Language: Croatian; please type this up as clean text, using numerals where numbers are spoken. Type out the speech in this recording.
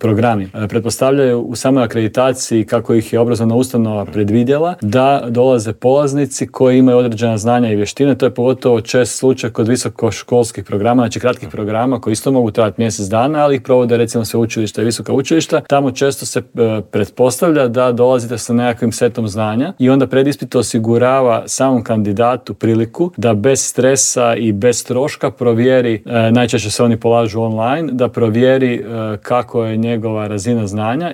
programi. Pretpostavljaju u samoj akreditaciji kako ih je obrazovna ustanova predvidjela da dolaze polaznici koji imaju određena znanja i vještine. To je pogotovo čest slučaj kod visokoškolskih programa, znači kratkih programa koji isto mogu trajati mjesec dana, ali ih provode recimo sveučilišta i visoka učilišta. Tamo često se pretpostavlja da dolazite sa nekakvim setom znanja i onda predispit osigurava samom kandidatu priliku da bez stresa i bez troška provjeri, najčešće se oni polažu online, da provjeri kako je njegova razina znanja